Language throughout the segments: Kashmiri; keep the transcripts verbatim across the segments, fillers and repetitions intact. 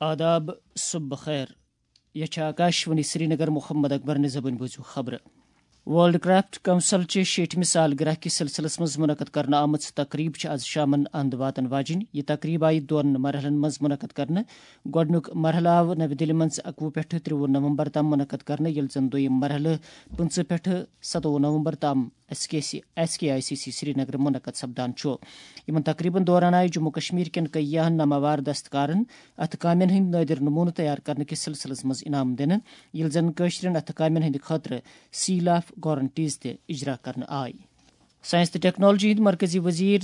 آداب، صبح بخیر۔ یہ چھا آکاشوانی سرینگر۔ محمد اکبر نہِ زبٲنۍ بوٗزِو خبرٕ۔ ورلڈ کرافٹ کونسل چہِ شیٹھمہِ سالگرہ کِس سلسلس منٛز منعقد کرنہٕ آمٕژ تقریب چھِ از شامن اند واتن واجِنۍ۔ یہِ تقریب آیہِ دۄن مرحلن منٛز منعقد کرنہٕ۔ گۄڈٕنیُک مرحلہٕ آو نَوِ دِلہِ منٛز اَکوُہ پٮ۪ٹھٕ ترٛوُہ نومبر تام منعقد کرنہٕ، ییٚلہِ زن دوٚیِم مرحلہٕ پٕنٛژٕہ پٮ۪ٹھٕ ستووُہ نومبر تام S K C, S K I C C Srinagar منعقد سپدان چھُ۔ یِمن تقریبن دوران آیہِ جموں کشمیر کٮ۪ن کیاہن ناماوار دستکارن اتھٕ کامٮ۪ن ہٕنٛدۍ نٲدِر نمونہٕ تیار کرنہٕ کِس سلسلس منٛز انعام دِنہٕ، ییٚلہِ زن کٲشرٮ۪ن اتھٕ کامٮ۪ن ہٕنٛدِ خٲطرٕ سیل آف گارنٹیز تہِ اجرا کرنہٕ آیہِ۔ ساینس تہٕ ٹیکنالوجی ہٕنٛدۍ مرکزی وزیر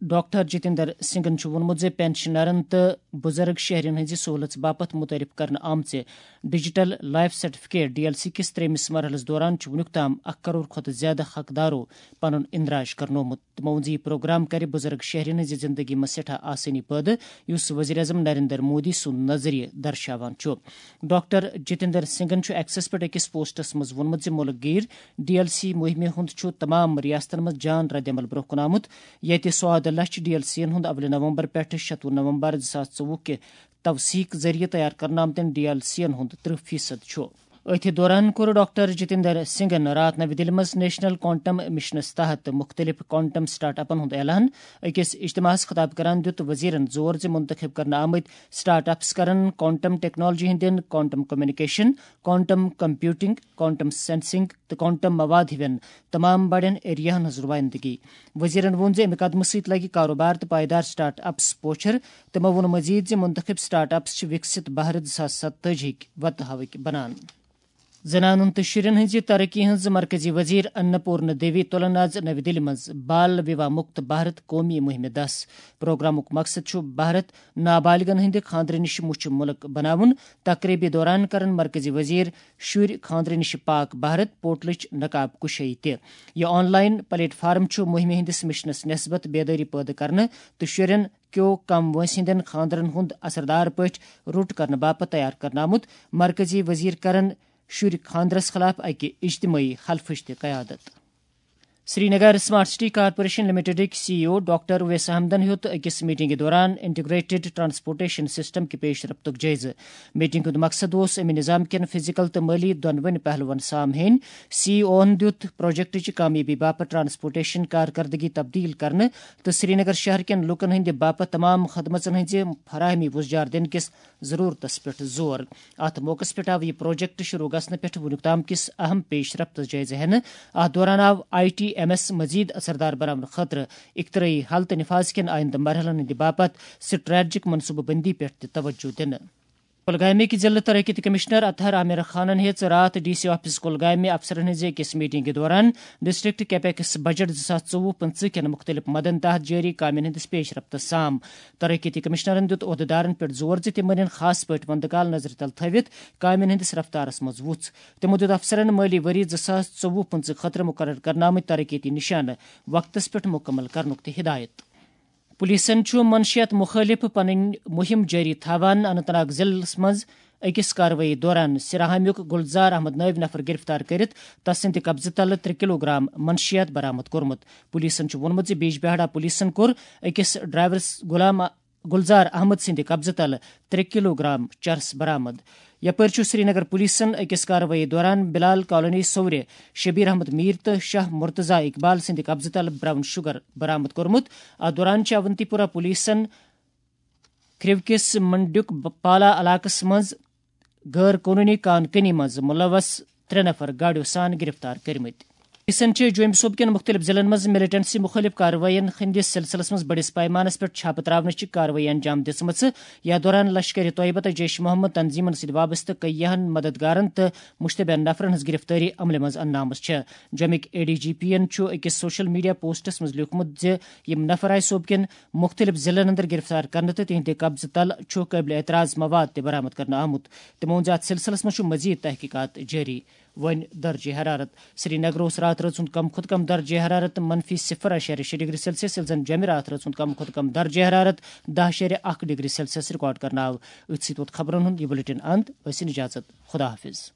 ڈاکٹر جتیندر سنگھن چھُ ووٚنمُت زِ پنشنرن تہٕ بُزرگ شہرین ہٕنٛزِ سہوٗلژ باپتھ متعارف کرنہٕ آمژِ digital life certificate, D L C, کِس ترٛیٚیمِس مرحلس دوران چھُ وُنیُک تام اکھ کرور کھۄتہٕ زیادٕ حقدارو پنُن اندراج کرنومُت۔ تِمو ووٚن زِ یہِ پروگرام کرِ بُزرگ شہرین ہٕنٛزِ زندگی منٛز سٮ۪ٹھاہ آسٲنی پٲدٕ، یُس وزیر اعظم نریندر مودی سُنٛد نظریہٕ درشاوان چھُ۔ ڈاکٹر جتیندر سنگھن چھُ ایکسس پٮ۪ٹھ أکِس پوسٹس منٛز ووٚنمُت زِ مُلک گیر ڈی ایل سی مُہِمہِ ہُنٛد چھُ تمام ریاستن منٛز جان ردعمل برٛونٛہہ کُن آمُت، ییٚتہِ سواد لچھ ڈی ایل سی ین ہُنٛد اولہِ نومبر پٮ۪ٹھٕ شتوُہ نومبر زٕ ساس ژوٚوُہ کہِ توثیق ذٔریعہٕ تیار کرنہٕ آمتٮ۪ن ڈی ایل سی ین ہُنٛد ترٕٛہ فیصد چھُ۔ أتھۍ دوران کوٚر ڈاکٹر جتیندر سنگھن راتھ نَوِ دِلہِ منٛز نیشنل کوانٹم مشنس تحت مُختٔلِف کوانٹم سٹارٹ اپن ہُنٛد اعلان۔ أکِس اجتماعس خطاب کران دِیُت وزیرن زور زِ منتخب کرنہٕ آمٕتۍ سٹارٹ اپس کرن کوانٹم ٹیکنالوجی ہٕنٛدٮ۪ن، quantum communication, quantum computing, quantum sensing تہٕ کوانٹم مواد ہِوٮ۪ن تمام بڑٮ۪ن ایریاہن ہٕنٛز نُمٲیندگی۔ وزیرن ووٚن زِ امہِ قدمہٕ سۭتۍ لگہِ کاروبار تہٕ پائیدار سٹارٹ اپس پوچھر۔ تِمو ووٚن مزید زِ منتخب سٹارٹ اپس چھِ وکست بھارت زٕ ساس ستتٲجی ہٕکۍ وتہٕ ہاوٕکۍ بنان۔ زنانن تہٕ شُرٮ۪ن ہٕنٛزِ ترقی ہٕنٛز مرکزی وزیر اناپورنا دیوی تُلن آز نَوِ دِلہِ منٛز بال وِواہ مُکت بھارت قومی مُہِمہِ دَس۔ پروگرامُک مقصد چھُ بھارت نابالغن ہٕنٛدِ خانٛدرٕ نِش مُچھِ مُلک بناوُن۔ تقریبہِ دوران کرن مرکزی وزیر شُرۍ خانٛدرٕ نِش پاک بھارت پورٹلٕچ نقاب کُشٲیی تہِ۔ یہِ آن لائن پلیٹ فارم چھُ مُہِمہِ ہٕنٛدِس مشنس نسبت بیدٲری پٲدٕ کرنہٕ تہٕ شُرٮ۪ن کیو کم وٲنٛسہِ ہٕنٛدٮ۪ن خانٛدرن ہُنٛد اثردار پٲٹھۍ روٚٹ کرنہٕ باپتھ تیار کرنہٕ آمُت۔ مرکزی وزیر کرن شُرۍ خانٛدرس خلاف اکہِ اجتمٲعی حلفٕچ تہِ قیادت۔ سرینگر سمارٹ سٹی کارپوریشن لمیٹڈٕکۍ C E O doctor Owais احمدن ہیوٚت أکِس میٹنگہِ دوران انٹیگریٹڈ ٹرانسپورٹیشن سسٹم کہِ پیش رفتُک جٲیزٕ۔ میٹنگ ہُنٛد مقصد اوس امہِ نظام کٮ۪ن فزیکل تہٕ مٲلی دۄنوٕنی پہلوَن سام ہینۍ۔ سی ای اوَن دِیُت پروجیکٹٕچہِ کامیٲبی باپتھ ٹرانسپورٹیشن کارکردگی تبدیل کرنہٕ تہٕ سرینگر شہر کٮ۪ن لوٗکَن ہٕنٛدِ باپتھ تمام خدمژن ہٕنٛزِ فراہمی وُزجار دِنہٕ کِس ضروٗرتَس پٮ۪ٹھ زور۔ اَتھ موقعَس پٮ۪ٹھ آو یہِ پروجیکٹ شروٗع گژھنہٕ پٮ۪ٹھ وُنیُک تام کِس اہم پیش رفتَس جٲیزٕ ہٮ۪نہٕ۔ اَتھ دوران آو آئی ٹی ایم ایس مزید اثردار بناونہٕ خٲطرٕ اختراعی حل تہٕ نفاذ کٮ۪ن آئندٕ مرحلَن ہٕنٛدِ باپتھ سٹریٹجک منصوبہٕ بندی پٮ۪ٹھ تہِ توجہ دِنہٕ۔ کۄلگامٕکۍ ضلعہٕ ترقیتی کمشنر اطہر عامر خانن ہیٚژ راتھ ڈی سی آفس کۄلگامہِ افسرن ہٕنٛزِ أکِس میٹنگہِ دوران ڈسٹرکٹ کیپیکس بجٹ زٕ ساس ژوٚوُہ پٕنٛژٕہ کٮ۪ن مُختٔلِف مدن تحت جٲری کامٮ۪ن ہٕنٛدِس پیش رفتس سام۔ ترقیتی کمشنرن دِیُت عہدٕدارن پٮ۪ٹھ زور زِ تِم أنِن خاص پٲٹھۍ وندٕ کال نظرِ تل تھٲوِتھ کامٮ۪ن ہٕنٛدِس رفتارس منٛز وُژھ۔ تِمو دِیُت افسرن مٲلی ؤری زٕ ساس ژوٚوُہ پٕنٛژٕہ خٲطرٕ مُقرر کرنہٕ آمٕتۍ ترقیتی نِشانہٕ وقتس پٮ۪ٹھ مُکمل کرنُک تہِ ہدایت۔ پولیسن چھُ منشیات مُخٲلِف پنٕنۍ مُہِم جٲری تھاوان۔ اننت ناگ ضلعس منٛز أکِس کاروٲیی دوران سراہامیُک گلزار احمد نٲوۍ نفر گرفتار کٔرِتھ تس سٕنٛدِ قبضہٕ تلہٕ ترٛےٚ کلوگرام منشیات برآمد کوٚرمُت۔ پولیسن چھُ ووٚنمُت زِ بیجبہاڑا پولیسن کوٚر أکِس ڈرائیورس غلام گلزار احمد سٕنٛدِ قبضہٕ تلہٕ ترٛےٚ کلوگرام چرس برآمد۔ یپٲرۍ چھُ سرینگر پولیسن أکِس کاروٲیی دوران بلال کالونی سورِ شبیر احمد میر تہٕ شاہ مرتضی اقبال سٕنٛدِ قبضہٕ تل براؤن شوگر برآمد کوٚرمُت۔ اتھ دوران چھِ اونتی پورہ پولیسن کھرِو کِس منڈیُک ب-، پالا علاقس منٛز غٲر قونوٗنی کان کنی منٛز ملوث ترٛےٚ نفر گاڑیو سان گرفتار کٔرمٕتۍ۔ پولیسن چھِ جوٚمۍ صوبہٕ کٮ۪ن مُختٔلِف ضلعن منٛز ملیٹنسی مُخٲلِف کاروٲیین ہٕنٛدِس سلسلس منٛز بٔڑِس پیمانس پٮ۪ٹھ چھاپہٕ ترٛاونٕچ کاروٲیی انجام دِژمٕژ۔ یتھ دوران لشکر طیبہ تہٕ جیش محمد تنظیمن سۭتۍ وابستہٕ کیاہن مددگارن تہٕ مشتبہ نفرن ہٕنٛز گرفتٲری عملہِ منٛز اننہٕ آمٕژ چھےٚ۔ جوٚمِکۍ اے ڈی جی پی ین چھُ أکِس سوشل میڈیا پوسٹس منٛز لیوٗکھمُت زِ یِم نفر آیہِ صوبہٕ کٮ۪ن مُختٔلِف ضلعن اندر گرفتار کرنہٕ تہٕ تِہنٛدِ قبضہٕ تل چھُ قٲبلِ اعتراض مواد تہِ برآمد کرنہٕ آمُت۔ تِمو ووٚن زِ اتھ سلسلس منٛز چھُ مزید تحقیقات جٲری۔ وۄنۍ درجہ حرارت۔ سرینگر اوس راتہٕ رٲژ ہُنٛد کم کھۄتہٕ کم درجہ حرارت منفی صفر اعشاریہ شےٚ ڈگری سیلسیس، ییٚلہِ زن جوٚمہِ راتہٕ رٲژ ہُنٛد کم کھۄتہٕ کم درجہ حرارت دَہ اعشاریہ اکھ ڈگری سیلسیس ریکارڈ کرنہٕ آو۔ أتھۍ سۭتۍ ووت خبرن ہُنٛد یہِ بلیٹن اند۔ ٲسِن اجازت۔ خدا حافظ۔